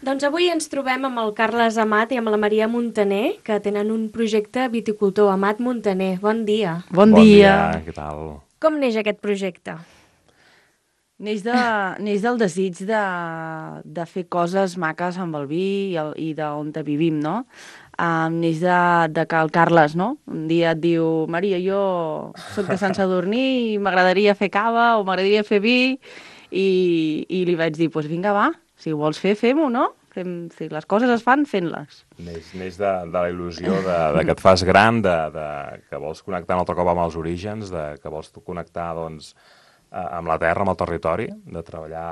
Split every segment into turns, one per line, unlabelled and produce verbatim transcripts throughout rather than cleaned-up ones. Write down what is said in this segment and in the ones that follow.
Doncs avui ens trobem amb el Carles Amat i amb la Maria Montaner, que tenen un projecte viticultor. Amat Montaner, bon dia.
Bon,
Bon
dia.
dia, què tal?
Com neix aquest projecte?
Neix, de, neix del desig de, de fer coses maques amb el vi i, el, i d'on te vivim, no? Um, neix de, de que el Carles, no? Un dia et diu, Maria, jo soc de Sant Sadurní i m'agradaria fer cava o m'agradaria fer vi, i, i li vaig dir, doncs pues vinga, va, si ho vols fer, fem-ho, no? Fem, si les coses es fan, fent-les.
Neix, neix de, de la il·lusió de, de que et fas gran, de, de, que vols connectar un altre cop amb els orígens, de que vols connectar, doncs, amb la terra, amb el territori, de treballar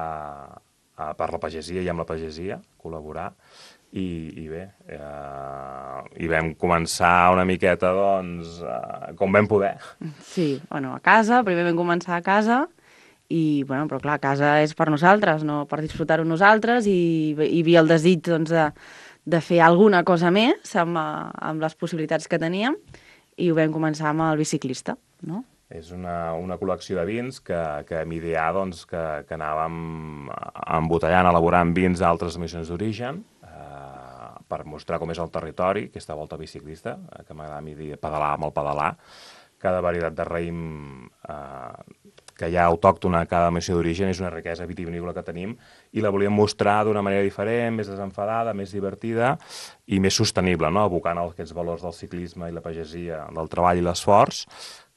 a, per la pagesia i amb la pagesia, col·laborar, i, i bé, eh, i vam començar una miqueta, doncs, eh, com vam poder.
Sí, bueno, a casa, primer vam començar a casa, i, bueno, però clar, casa és per nosaltres, no per disfrutar-ho nosaltres, i hi havia el desig, doncs, de, de fer alguna cosa més amb, amb les possibilitats que teníem, i ho vam començar amb el biciclista, no?
És una, una col·lecció de vins que, que vam idear, doncs, que, que anàvem embotellant, elaborant vins d'altres missions d'origen, eh, per mostrar com és el territori, aquesta volta biciclista, eh, que m'agrada a mi dir pedalar amb el pedalar, cada varietat de raïm eh, que hi ha autòctona a cada missió d'origen és una riquesa vitivinícola que tenim i la volíem mostrar d'una manera diferent, més desenfadada, més divertida i més sostenible, no? Abocant aquests valors del ciclisme i la pagesia, del treball i l'esforç,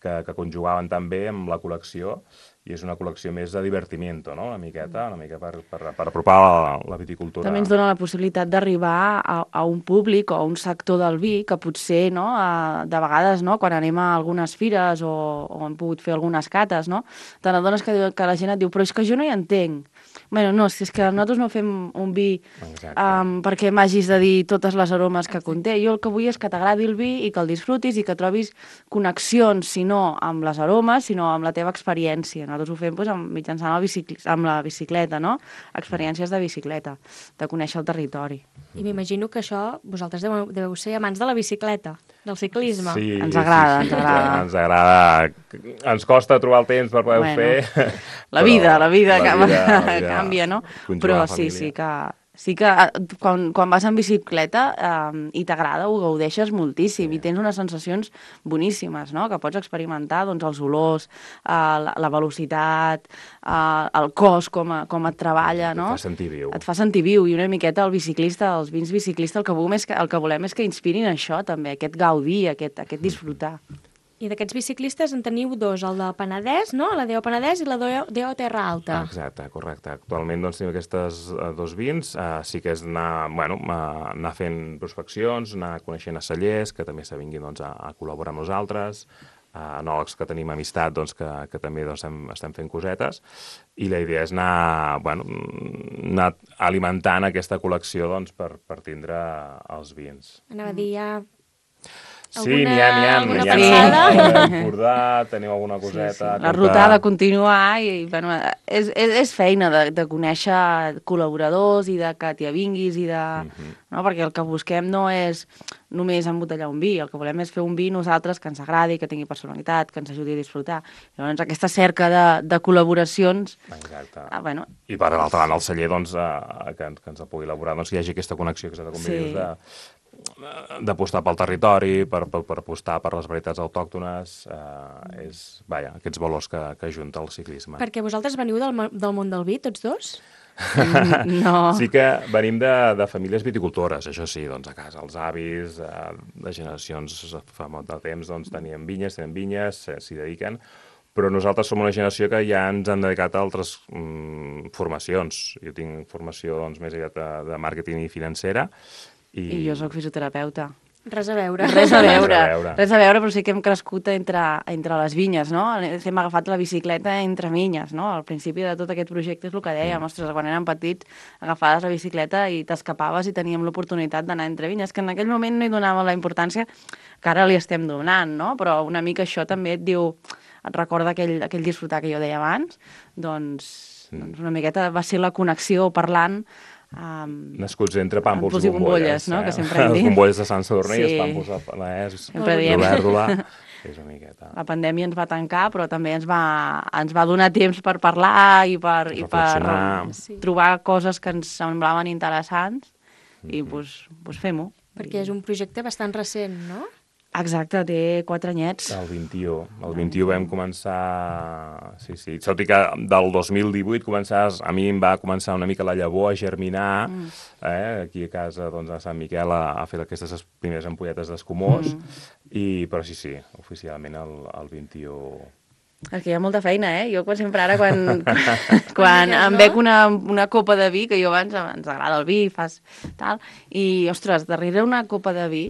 que, que conjugaven també amb la col·lecció, i és una col·lecció més de divertimiento, no? Una miqueta, una mica per, per, per apropar la, la viticultura.
També ens dona la possibilitat d'arribar a, a un públic o a un sector del vi que potser, no, a, de vegades, no, quan anem a algunes fires o, o hem pogut fer algunes cates, no, te n'adones que, que la gent et diu, però és que jo no hi entenc. Bueno, no, si és que nosaltres no fem un vi um, perquè m'hagis de dir totes les aromes que conté. Jo el que vull és que t'agradi el vi i que el disfrutis i que trobis connexions, si no amb les aromes, sinó amb la teva experiència. Nosaltres ho fem doncs, amb, mitjançant el bicic amb la bicicleta, no? Experiències de bicicleta, de conèixer el territori.
I m'imagino que això, vosaltres deveu, deveu ser amants de la bicicleta, del ciclisme.
Sí,
ens agrada,
sí, sí,
ens agrada.
Ens agrada. Ens costa trobar el temps per poder-ho
Bueno,
fer.
La vida, la vida,
la
canvia,
vida, la vida
canvia, no?
conjugar
Però
la
sí,
família.
sí que, sí que quan, quan vas en bicicleta eh, i t'agrada, ho gaudeixes moltíssim, sí. I tens unes sensacions boníssimes, no? Que pots experimentar, doncs, els olors, eh, la, la velocitat, eh, el cos, com, a, com et treballa, no?
Et fa sentir viu.
Et fa sentir viu, i una miqueta el biciclista, els vins biciclistes, el que volem és que, el que, volem és que inspirin això, també, aquest gaudir, aquest, aquest disfrutar.
I d'aquests biciclistes en teniu dos, el de Penedès, no? La D O Penedès i la D O Terra Alta.
Exacte, correcte. Actualment doncs, tenim aquestes uh, dos vins. Uh, sí que és anar, bueno, uh, anar fent prospeccions, anar coneixent a cellers, que també s'avinguin doncs, a, a col·laborar amb nosaltres, uh, enòlegs que tenim amistat, doncs, que, que també doncs, estem, estem fent cosetes, i la idea és anar, bueno, anar alimentant aquesta col·lecció doncs, per, per tindre els vins.
Anava a dir ja...
Sí, n'hi ha, n'hi ha.
Alguna
N'hi ha
passada?
Empordà, tenim alguna coseta.
Sí, sí. La ruta ha de continuar i bueno, és, és, és feina de, de conèixer col·laboradors i de que t'hi avinguis i de... Uh-huh. No? Perquè el que busquem no és només embotellar un vi, el que volem és fer un vi nosaltres que ens agradi, que tingui personalitat, que ens ajudi a disfrutar. Llavors aquesta cerca de, de col·laboracions...
Exacte.
Ah, bueno.
I per l'altra banda el celler doncs, eh, que, que ens pugui elaborar, doncs, que hi hagi aquesta connexió que s'ha de convenir sí. de d'apostar pel territori, per, per, per apostar per les varietats autòctones, eh, és, vaja, aquests valors que, que ajunta el ciclisme.
Perquè vosaltres veniu del, del món del vi, tots dos?
No.
Sí que venim de, de famílies viticultores, això sí, doncs a casa els avis, eh, de generacions fa molt de temps, doncs tenien vinyes, tenen vinyes, s'hi dediquen, però nosaltres som una generació que ja ens han dedicat a altres mm, formacions. Jo tinc formació doncs, més aviat de, de màrqueting i financera, I...
I jo sóc fisioterapeuta.
Res a veure.
Res a veure,
Res a veure.
res a veure, però sí que hem crescut entre, entre les vinyes, no? Hem agafat la bicicleta entre vinyes, no? Al principi de tot aquest projecte és el que dèiem, ostres, quan érem petits agafaves la bicicleta i t'escapaves i teníem l'oportunitat d'anar entre vinyes, que en aquell moment no hi donàvem la importància que ara li estem donant, no? Però una mica això també et diu, et recorda aquell, aquell disfrutar que jo deia abans, doncs, mm. doncs una miqueta va ser la connexió parlant. Um,
Nascuts entre pàmpols i bombolles,
bombolles, no?
Eh?
Que sempre hem dit.
Les bombolles de Sant Sadurní,
sí.
els pàmpols de Penedès,
Sempre diem.
d'Olèrdola. és una miqueta.
La pandèmia ens va tancar, però també ens va, ens va donar temps per parlar i per, i per
Sí.
trobar coses que ens semblaven interessants i
Mhm.
pues, pues fem-ho.
Perquè és un projecte bastant recent, no?
Exacte, té quatre anyets.
El vint-i-u. El vint-i-u vam començar... Sí, sí. Tot i que del dos mil divuit començar, a mi em va començar una mica la llavor a germinar, mm. eh? Aquí a casa, doncs, a Sant Miquel, a, a fer aquestes primeres ampolletes d'escumós, mm. i, però sí, sí, oficialment el, el vint-i-u...
És que hi ha molta feina, eh? Jo quan sempre ara, quan, quan em
no?
bec una, una copa de vi, que jo abans ens agrada el vi, fas tal, i, ostres, darrere una copa de vi,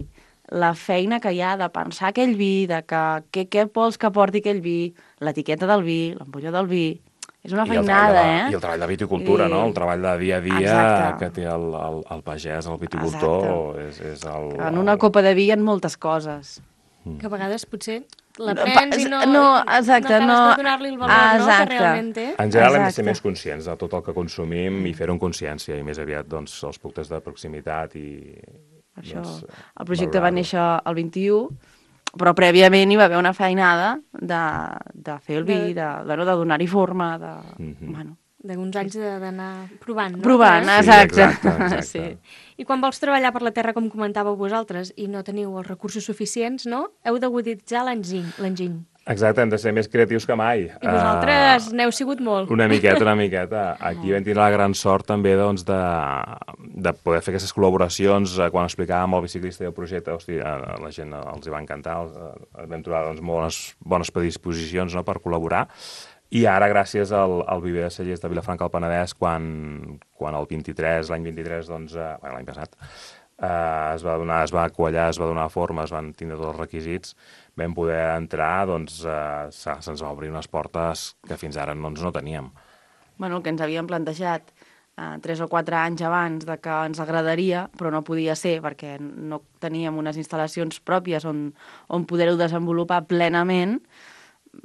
la feina que hi ha de pensar aquell vi, de que, què, què vols que porti aquell vi, l'etiqueta del vi, l'ampolla del vi, és una
I el
feinada,
de,
eh?
I el treball de viticultura,
I...
no? El treball de dia a dia
Exacte.
que té el, el, el pagès, el viticultor, és, és el...
En una copa de vi hi ha moltes coses.
Que a vegades potser la
No,
prens i no,
no, exacte,
no acabes
no-
de donar-li el valor no,
exacte.
que realment té.
En general hem de ser
Exacte.
més conscients de tot el que consumim i fer-ho amb consciència, i més aviat doncs, els productes de proximitat i...
Això,
doncs,
el projecte va
valorar-ho.
néixer el vint-i-u, però prèviament hi va haver una feinada de, de fer el vi,
De-
de, bueno, de donar-hi forma, de...
Mhm.
bueno,
D'uns anys de- d'anar provant, no?
provant,
També?
Sí,
exacte.
exacte, exacte.
Sí.
I quan vols treballar per la terra, com comentàveu vosaltres, i no teniu els recursos suficients, no? Heu d'aguditzar l'enginy. l'enginy.
Exacte, hem de ser més creatius que mai.
I vosaltres
Uh,
n'heu sigut molt.
Una miqueta, una miqueta. Aquí vam tindre la gran sort també doncs, de, de poder fer aquestes col·laboracions. Eh, Quan explicàvem al biciclista i el projecte, hosti, a la gent els hi va encantar. Els, eh, vam trobar doncs, molt bones, bones predisposicions, no?, per col·laborar. I ara, gràcies al, al Viver de Cellers de Vilafranca del Penedès, quan, quan el vint-i-tres, l'any vint-i-tres, doncs, eh, bueno, l'any passat, eh, es va donar, es va quallar, es va donar forma, es van tindre tots els requisits, vam poder entrar, doncs eh, se- se'ns va obrir unes portes que fins ara no, no teníem.
Bueno, el que ens havíem plantejat eh, tres o quatre anys abans de que ens agradaria, però no podia ser perquè no teníem unes instal·lacions pròpies on, on poder-ho desenvolupar plenament,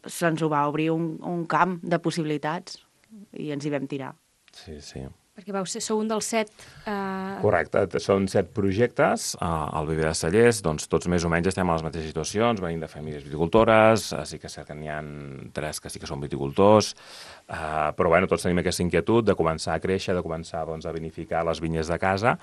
se'ns ho va obrir un, un camp de possibilitats i ens hi vam tirar.
Sí, sí.
Perquè vau ser, sou un dels set... Eh...
Correcte, t- són set projectes uh, al Viver de Cellers, doncs tots més o menys estem a les mateixes situacions, venim de famílies viticultores, uh, sí que és cert que n'hi ha tres que sí que són viticultors, uh, però bueno, tots tenim aquesta inquietud de començar a créixer, de començar doncs, a vinificar les vinyes de casa,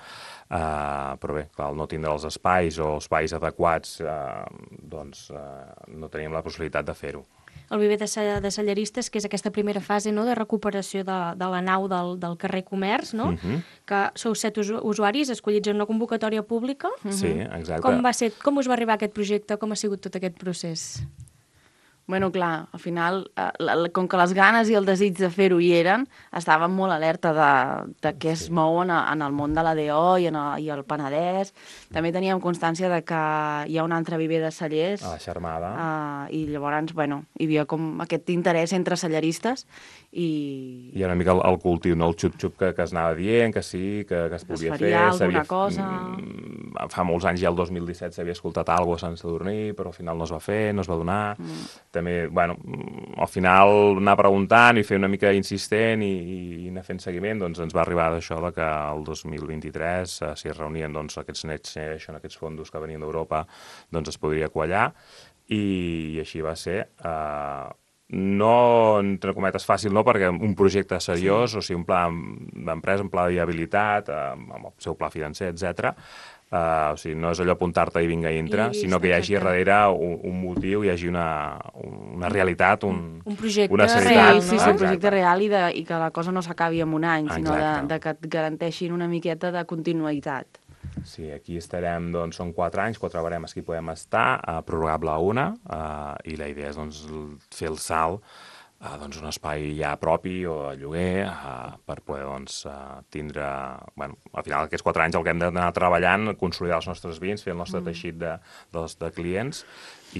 uh, però bé, clar, al no tindre els espais o espais adequats, uh, doncs uh, no teníem la possibilitat de fer-ho.
El Viver de, Ce- de Celleristes, que és aquesta primera fase, no?, de recuperació de, de la nau del, del carrer Comerç, no?
Mhm.
Que sou set usu usuaris escollits en una convocatòria pública.
Sí, exacte.
Com va ser, com us va arribar aquest projecte? Com ha sigut tot aquest procés?
Bueno, clar, al final, eh, la, la, com que les ganes i el desig de fer-ho hi eren, estàvem molt alerta de, de què es mou en, en el món de l'A D O i, en el, i el Penedès. També teníem constància de que hi ha un altre Viver de Cellers.
A la Xarmada.
Uh, I llavors, bueno, hi havia com aquest interès entre celleristes i...
Hi ha una mica el, el cultiu, no? El xup-xup que, que es anava dient, que sí, que, que es
Que es
podia
faria
fer.
alguna
s'havia-
cosa.
Mm, Fa molts anys, ja el dos mil disset, s'havia escoltat alguna cosa a Sant Sadurní, però al final no es va fer, no es va donar. Mm. També, bueno, mm, al final anar preguntant i fer una mica insistent i, i anar fent seguiment, doncs ens va arribar d'això de que el dos mil vint-i-tres, eh, si es reunien doncs, aquests Next Generation, aquests fondos que venien d'Europa, doncs es podria quallar, i, i així va ser. Eh, no, entre cometes, fàcil, no, perquè un projecte seriós, sí. O sigui, un pla d'empresa, un pla de viabilitat, eh, amb el seu pla financer, etcètera. Uh, o sigui, no és allò apuntar-te i vinga i entra,
I
sinó que hi hagi
exacte.
darrere un, un motiu, hi hagi una, una realitat, un,
Un projecte
una
Sí,
seritat.
real,
sí,
no?
sí, un
Exacte.
projecte real i, de, i que la cosa no s'acabi en un any, sinó de,
Exacte.
de que et garanteixin una miqueta de continuïtat.
Sí, aquí estarem, doncs, són quatre anys, quatre baremes que hi podem estar, uh, prorrogable a una, uh, i la idea és, doncs, l- fer el salt a doncs, un espai ja propi o de lloguer uh, per poder doncs, uh, tindre... Bueno, al final aquests quatre anys el que hem d'anar treballant, consolidar els nostres vins, fer el nostre mm. teixit de, dels, de clients i,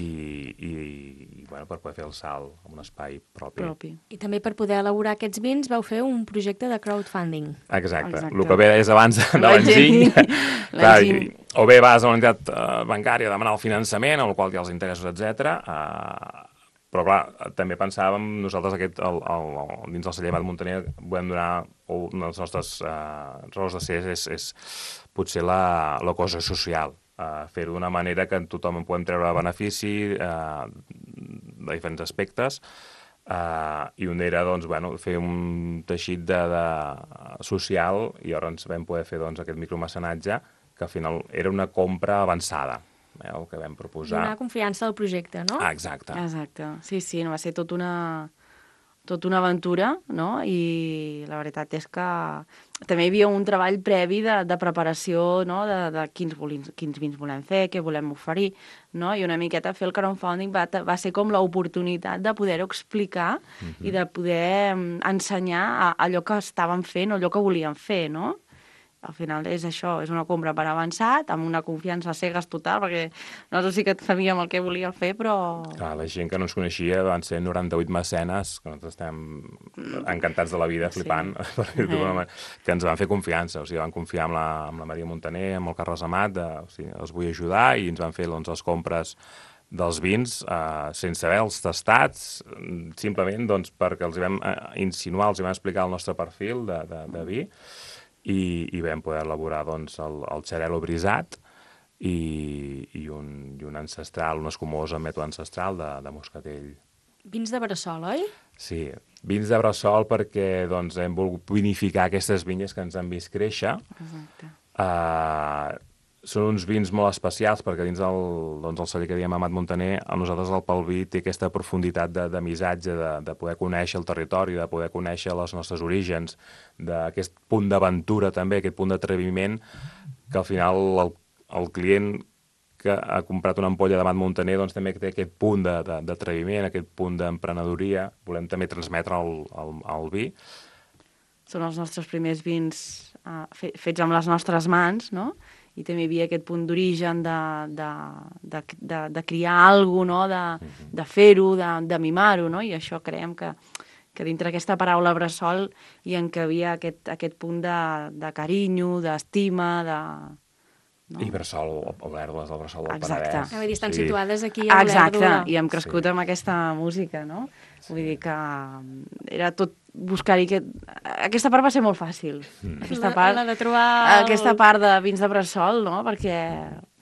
i, i bueno, per poder fer el salt en un espai propi.
Propi.
I també per poder elaborar aquests vins vau fer un projecte de crowdfunding.
Exacte.
Exacte.
El que ve és abans de, de l'enginy.
L'enginy.
Clar, i- o bé vas a una entitat uh, bancària a demanar el finançament, amb el qual hi ha els interessos, etcètera. Uh, però, clar, també pensàvem, nosaltres aquest, el, el, el, dins del celler Amat Muntaner, volem donar, o una de les nostres uh, raons de ser és, és potser la, la cosa social. uh, fer-ho d'una manera que tothom en podem treure benefici uh, de diferents aspectes, uh, i un era doncs, bueno, fer un teixit de, de social, i llavors vam poder fer doncs, aquest micromecenatge, que al final era una compra avançada, eh, el que vam proposar.
Donar confiança al projecte, no?
Ah, exacte.
Exacte. Sí, sí, no va ser tot una, tot una aventura, no? I la veritat és que també hi havia un treball previ de, de preparació, no? De, de quins, volins, quins vins volem fer, què volem oferir, no? I una miqueta fer el crowdfunding va, va ser com l'oportunitat de poder-ho explicar uh-huh. i de poder ensenyar a, allò que estaven fent o allò que volien fer, no? Al final és això, és una compra per avançat, amb una confiança cegues total, perquè nosaltres sí que sabíem el que volíem fer, però...
Clar, la gent que no ens coneixia van ser noranta-vuit mecenes, que nosaltres estem encantats de la vida, flipant, sí. per dir-ho d'una manera, que ens van fer confiança, o sigui, van confiar amb la, amb la Maria Montaner, amb el Carles Amat, de, o sigui, els vull ajudar, i ens van fer doncs, les compres dels vins eh, sense haver-los tastats, simplement doncs, perquè els hi vam eh, insinuar, els hi vam explicar el nostre perfil de, de, de vi, I, i vam poder elaborar doncs, el, el xarel·lo brisat i, i, un, i un ancestral, un escumós amb mètode ancestral de, de moscatell.
Vins de Bressol, oi?
Sí, vins de Bressol perquè doncs, hem volgut vinificar aquestes vinyes que ens han vist créixer.
Exacte.
Uh, són uns vins molt especials perquè dins del, doncs, el celler que diem Amat Montaner, a nosaltres el Palví té aquesta profunditat de, de missatge, de, de poder conèixer el territori, de poder conèixer els nostres orígens, d'aquest punt d'aventura també, aquest punt d'atreviment, que al final el, el client que ha comprat una ampolla d'Amat Montaner doncs, també té aquest punt d'atreviment, aquest punt d'emprenedoria, volem també transmetre al, al, al vi.
Són els nostres primers vins uh, fets amb les nostres mans, no? I també hi havia aquest punt d'origen de, de, de, de, de criar alguna cosa, no? de, de fer-ho, de, de mimar-ho, no? I això creiem que, que dintre aquesta paraula bressol hi encabia aquest, aquest punt de, de carinyo, d'estima, de... No?
I Bressol, Olèrdola, el Bressol del
Exacte.
Penedès.
Ah, vull dir, estan
sí.
situades aquí a
Exacte,
Olèrdola.
i hem crescut sí. amb aquesta música, no? Sí. Vull dir que era tot buscar-hi... Aquest... Aquesta part va ser molt fàcil. Mm. Aquesta part,
la, la de trobar... El...
Aquesta part de vins de Bressol, no? Perquè,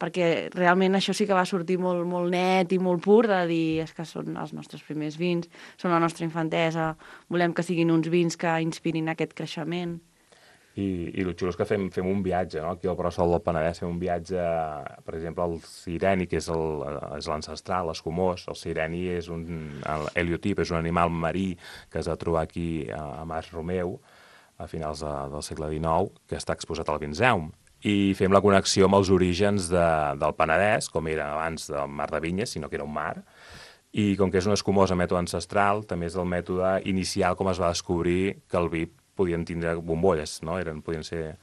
perquè realment això sí que va sortir molt, molt net i molt pur, de dir, és que són els nostres primers vins, són la nostra infantesa, volem que siguin uns vins que inspirin aquest creixement.
I, i el xulo és que fem, fem un viatge, no? Aquí al Bressol del Penedès fem un viatge, per exemple, al sireni, que és l'ancestral, l'escumós. El sireni és un heliotip, és un animal marí que es va trobar aquí a, a Mas Romeu, a finals de, del segle dinou, que està exposat al Vinzeum. I fem la connexió amb els orígens de, del Penedès, com era abans del mar de Vinyes, sinó que era un mar. I com que és un escumós a mètode ancestral, també és el mètode inicial com es va descobrir que el vi podien tindre bombolles, no? Eren, podien ser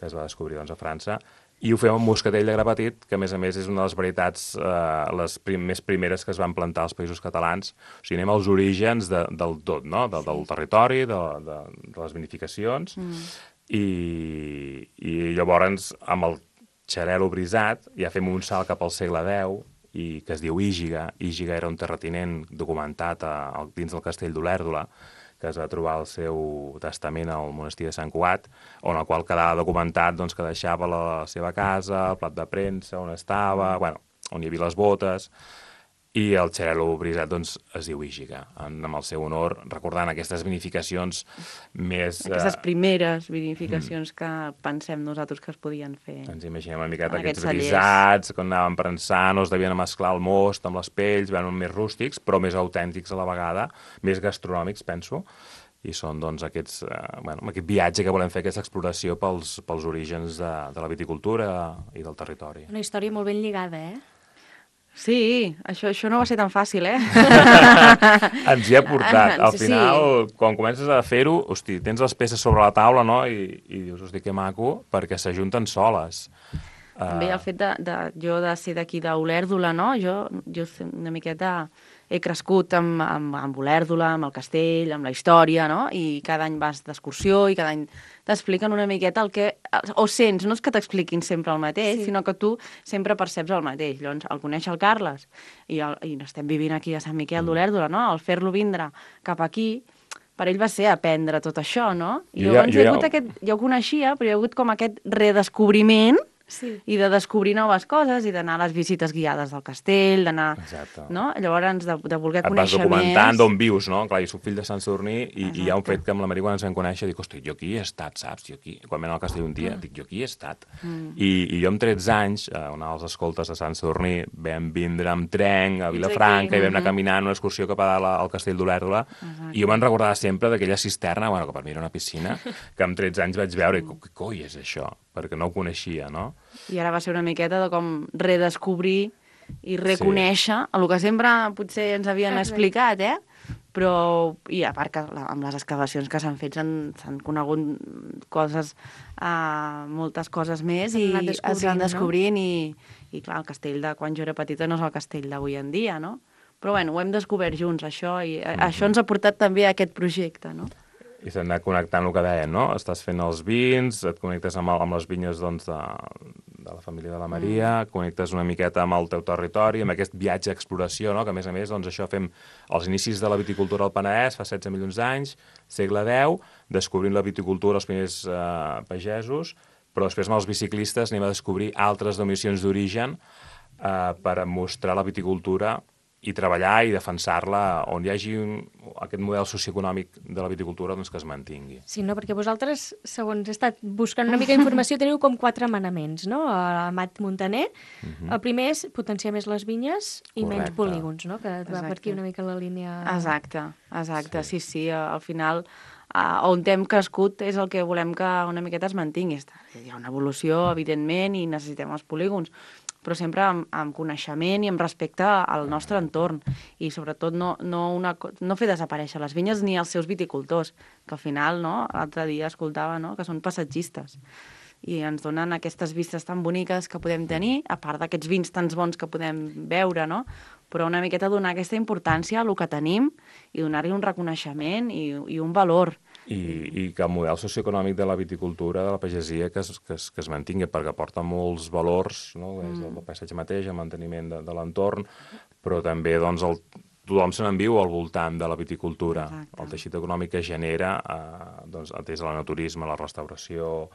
que es va descobrir doncs, a França. I ho fem amb moscatell de gra petit, que a més a més és una de les varietats eh, les prim més primeres que es van plantar als Països Catalans. O sigui, anem als orígens de, del tot, no? De, del territori, de, de, de les vinificacions, mm. i, i llavors amb el xarel·lo brisat ja fem un salt cap al segle deu, i que es diu Ígiga. Ígiga era un terratinent documentat a, a, dins del castell d'Olèrdola, que es va trobar el seu testament al monestir de Sant Cugat, on el qual quedava documentat doncs, que deixava la seva casa, el plat de premsa, on estava, bueno, on hi havia les botes, i el xarel·lo brisat doncs, es diu Ígiga, en, amb el seu honor, recordant aquestes vinificacions més...
Aquestes primeres vinificacions mm. que pensem nosaltres que es podien fer.
Ens imaginem una miqueta aquests brisats, quan anàvem prensant, no es devien mesclar el most amb les pells, veuen més rústics, però més autèntics a la vegada, més gastronòmics, penso, i són doncs, aquests, eh, bueno, aquest viatge que volem fer, aquesta exploració pels, pels orígens de, de la viticultura i del territori.
Una història molt ben lligada, eh?
Sí, això, això no va ser tan fàcil, eh?
Ens hi ha portat. Al final, sí. quan comences a fer-ho, hosti, tens les peces sobre la taula, no?, i, i dius, hosti, que maco, perquè s'ajunten soles.
També uh... el fet de, de, jo de ser d'aquí d'Olèrdola, no?, jo, jo una miqueta he crescut amb, amb, amb Olèrdola, amb el castell, amb la història, no?, i cada any vas d'excursió i cada any t'expliquen una miqueta el que... O sents, no és que t'expliquin sempre el mateix, sí. sinó que tu sempre perceps el mateix. Llavors, al conèixer el Carles, i, el, i estem vivint aquí a Sant Miquel d'Olèrdola, no?, al fer-lo vindre cap aquí, per ell va ser aprendre tot això, no? I
jo
llavors
ja, jo
hi ha hagut
ja...
aquest... Jo ho coneixia, però hi ha hagut com aquest redescobriment
Sí.
i de descobrir noves coses i d'anar a les visites guiades del castell, d'anar...
Exacte.
No? Llavors, de, de voler
Et vas
conèixer
documentant
més...
d'on vius, no? Clar, jo soc fill de Sant Sadurní i, i hi ha un
Exacte.
fet que amb la Maria quan ens vam conèixer dic, hosti, jo aquí he estat, saps? Jo aquí, quan vam anar al castell un dia, dic, jo aquí he estat.
Mm.
I, I jo amb tretze anys, a una dels escoltes de Sant Sadurní, vam vindre amb tren a
Ets
Vilafranca
aquí.
i vam anar
Mhm.
caminant una excursió cap a dalt al castell d'Olèrdola i jo me'n recordava sempre d'aquella cisterna, bueno, que per mi era una piscina, que amb tretze anys vaig veure i què coi és això? Perquè no ho coneixia, no?
I ara va ser una miqueta de com redescobrir i reconèixer sí. el que sempre potser ens havien
Exacte.
explicat, eh? Però, i a part que la- amb les excavacions que s'han fet s'han s'han conegut coses, uh, moltes coses més
S'han
i
anat
es
descobrint,
van
no?
descobrint i, i clar, el castell de quan jo era petita no és el castell d'avui en dia, no? Però bueno, ho hem descobert junts, això, i mm-hmm. això ens ha portat també a aquest projecte, no?
I s'ha anat connectant el que deien, no? Estàs fent els vins, et connectes amb, el, amb les vinyes doncs, de, de la família de la Maria, mm. connectes una miqueta amb el teu territori, amb aquest viatge d'exploració, no? Que a més a més doncs, això fem els inicis de la viticultura al Penedès, fa setze milions d'anys, segle deu, descobrint la viticultura els primers eh, pagesos, però després amb els biciclistes anem a descobrir altres denominacions d'origen eh, per mostrar la viticultura i treballar i defensar-la on hi hagi un, aquest model socioeconòmic de la viticultura doncs, que es mantingui.
Sí, no, perquè vosaltres, segons he estat buscant una mica d'informació, teniu com quatre manaments, no? A Amat Muntaner. Uh-huh. El primer és potenciar més les vinyes i
Correcte.
menys polígons, no? Que va
Exacte.
per aquí una mica la línia...
Exacte, exacte, sí,
Sí.
sí, sí al final uh, on hem crescut és el que volem que una miqueta es mantingui. Hi ha una evolució, evidentment, i necessitem els polígons, però sempre amb, amb coneixement i amb respecte al nostre entorn i sobretot no, no, una, no fer desaparèixer les vinyes ni els seus viticultors, que al final, no, l'altre dia escoltava, no, que són passatgistes i ens donen aquestes vistes tan boniques que podem tenir, a part d'aquests vins tan bons que podem veure, no? Però una miqueta donar aquesta importància a el que tenim i donar-li un reconeixement i, i un valor.
I, i que el model socioeconòmic de la viticultura, de la pagesia, que es, que es, que es mantingui, perquè aporta molts valors, no? Des del paisatge mateix, el manteniment de, de l'entorn, però també doncs, el, tothom se n'enviu al voltant de la viticultura.
Exacte.
El teixit econòmic que genera, eh, doncs, des de l'enoturisme, la restauració,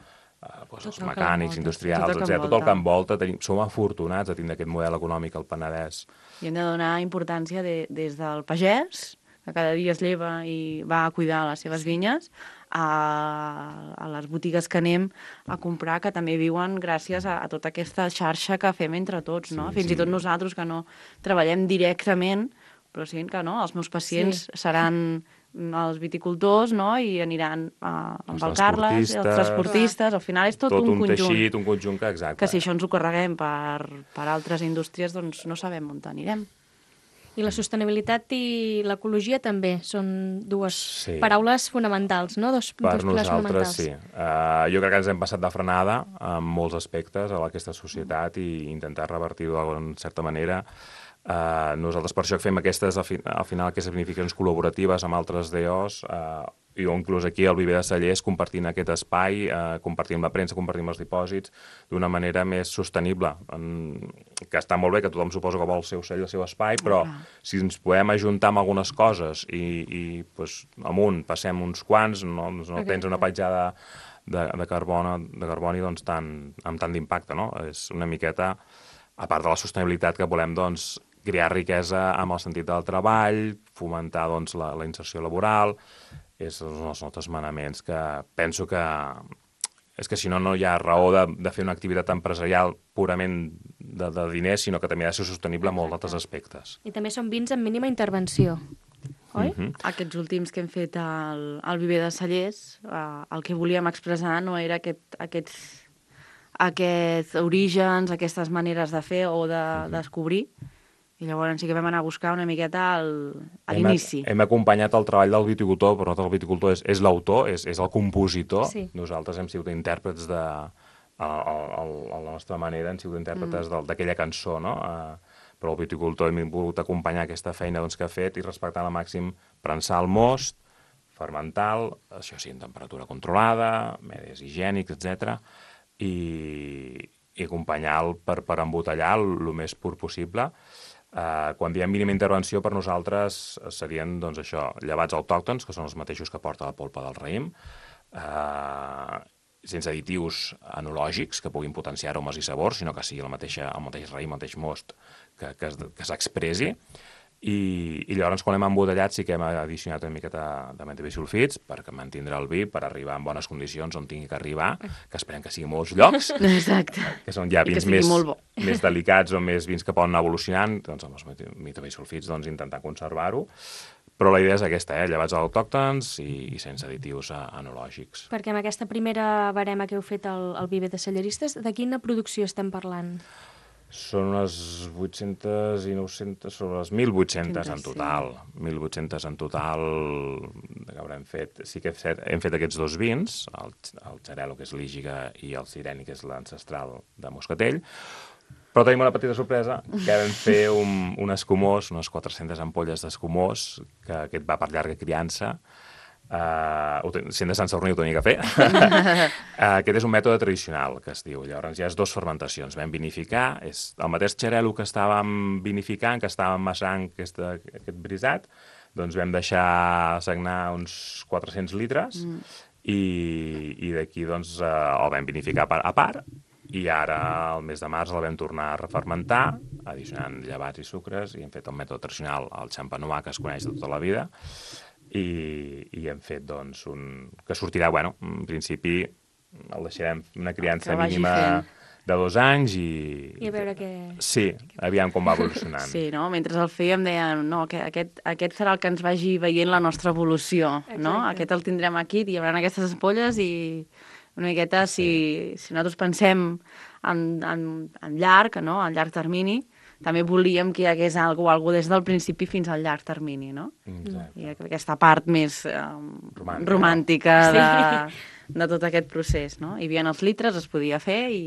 eh, doncs, els
el que
mecànics,
l'envolta,
industrials,
tot el que
etcètera. Tot el que
envolta.
envolta, tenim, som afortunats de tindre aquest model econòmic al Penedès.
I hem de donar importància de, des del pagès, que cada dia es lleva i va a cuidar les seves vinyes, a, a les botigues que anem a comprar, que també viuen gràcies a, a tota aquesta xarxa que fem entre tots, no?
Sí,
Fins
sí.
i tot nosaltres, que no treballem directament, però sí que no, els meus pacients
Sí.
seran els viticultors, no?, i aniran a, amb
Els
el Carles, els
transportistes.
transportistes, al final és tot,
Tot
un,
un
conjunt.
teixit, un conjunt que, exacte.
Que si això ens ho carreguem per, per altres indústries, doncs no sabem on anirem.
I la sostenibilitat i l'ecologia també són dues
Sí.
paraules fonamentals, no? Dos,
Per
dos pilars
nosaltres,
fonamentals.
sí. Uh, jo crec que ens hem passat de frenada en molts aspectes a aquesta societat i intentar revertir-ho d'alguna certa manera. Uh, nosaltres per això fem aquestes, al, fi, al final, aquestes planificacions col·laboratives amb altres D Os, uh, i o inclús aquí al Viver de Cellers compartint aquest espai, uh, compartint la premsa, compartint els dipòsits d'una manera més sostenible. En, que està molt bé, que tothom suposa que vol el seu cell, el seu espai, però
Ah.
si ens podem ajuntar amb algunes coses i, i pues, amunt passem uns quants, no, no
Exacte.
tens una petjada de, de, carboni, de carboni doncs, tan, amb tant d'impacte, no? És una miqueta, a part de la sostenibilitat que volem, doncs, crear riquesa amb el sentit del treball, fomentar doncs, la, la inserció laboral, és un dels nostres manaments que penso que és que si no, no hi ha raó de, de fer una activitat empresarial purament de, de diners, sinó que també ha de ser sostenible en molts altres aspectes.
I també són vins amb mínima intervenció, oi?
Mhm.
Aquests últims que hem fet al, al Viver de Cellers, eh, el que volíem expressar no era aquest, aquests, aquests orígens, aquestes maneres de fer o de descobrir, i llavors sí que vam anar a buscar una miqueta al, a
Hem,
l'inici.
hem acompanyat el treball del viticultor, però nosaltres el viticultor és, és l'autor, és, és el compositor.
Sí.
Nosaltres hem sigut intèrprets de... A, a, a la nostra manera hem sigut intèrpretes mm. d'aquella cançó, no? Uh, però el viticultor hem volgut acompanyar aquesta feina doncs, que ha fet i respectant al màxim prensar el most, fermental, això sí, en temperatura controlada, medis higiènics, etcètera, i, i acompanyar-lo per, per embotellar el més pur possible. Uh, quan diem mínima intervenció, per nosaltres serien doncs, això, llevats autòctons, que són els mateixos que porta la polpa del raïm, uh, sense additius enològics que puguin potenciar aromes i sabors, sinó que sigui el mateix, el mateix raïm, el mateix most que, que, que s'expressi. I, I llavors, quan hem embotellat, sí que hem addicionat una miqueta de menta bisulfits perquè mantindre el vi, per arribar en bones condicions on tingui que arribar, que esperem que sigui molts llocs.
Exacte.
Que són ja vins més, més delicats o més vins que poden anar evolucionant, doncs amb els menta bisulfits doncs, intentar conservar-ho. Però la idea és aquesta, eh? Llevats autòctons i, i sense additius enològics.
Perquè amb aquesta primera barema que heu fet al, al Viver de Celleristes, de quina producció estem parlant?
Són unes vuit-centes i nou-centes, són unes mil vuit-centes en total. mil vuit-centes en total que haurem fet. Sí que hem fet, hem fet aquests dos vins, el, el Xarel·lo, que és l'Ígiga, i el Sireni, que és l'ancestral de Moscatell. Però tenim una petita sorpresa, que vam fer un, un escumós, unes quatre-centes ampolles d'escumós, que aquest va per llarga criança. Uh, sent de Sant Sadurní ho tenia que fer. uh, aquest és un mètode tradicional, que es diu. Llavors hi ha dues fermentacions. Vam vinificar, és el mateix xarel·lo que estàvem vinificant, que estàvem massant aquest, aquest brisat, doncs vam deixar sagnar uns quatre-cents litres mm. i, i d'aquí doncs, uh, el vam vinificar a part. I ara, al mes de març, el vam tornar a refermentar, addicionant llevats i sucres, i hem fet el mètode tradicional, el xampanois, que es coneix de tota la vida, i, i hem fet, doncs, un... que sortirà, bueno, en principi el deixarem una criança mínima de dos anys i...
I a veure què...
Sí, aviam com va evolucionant.
Sí, no? Mentre el fèiem dèiem, no, que aquest, aquest serà el que ens vagi veient la nostra evolució, exacte. No? Aquest el tindrem aquí, hi haurà aquestes ampolles i... Una miqueta, si, si nosaltres pensem en, en, en llarg, no? En llarg termini, també volíem que hi hagués algú, algú des del principi fins al llarg termini, no?
Exacte.
I aquesta part més eh, romàntica, romàntica de, sí. de tot aquest procés, no? Hi havia els litres, es podia fer i,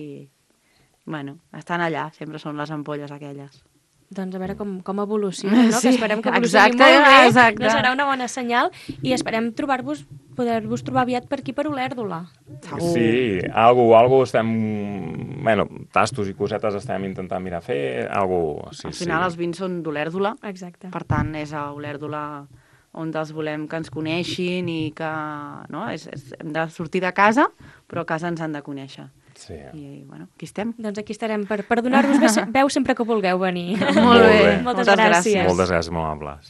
bueno, estan allà, sempre són les ampolles aquelles.
Doncs a veure com, com evoluciona, no?
Sí,
que esperem que evolucioni
exacte,
molt bé,
exacte.
no serà una bona senyal, i esperem trobar-vos, poder-vos trobar aviat per aquí, per Olèrdola.
Sí, algú, algú estem... Bueno, tastos i cosetes estem intentant mirar fer, algú... Sí,
Al final
sí.
els vins són d'Olèrdola,
exacte.
Per tant és a Olèrdola on els volem que ens coneixin i que... No? És, és, hem de sortir de casa, però a casa ens han de conèixer.
Sí.
I, bueno, aquí estem.
Doncs aquí estarem per, per donar-vos veu sempre que vulgueu venir.
Molt bé.
Moltes
Moltes
gràcies.
gràcies.
Moltes gràcies, molt amables.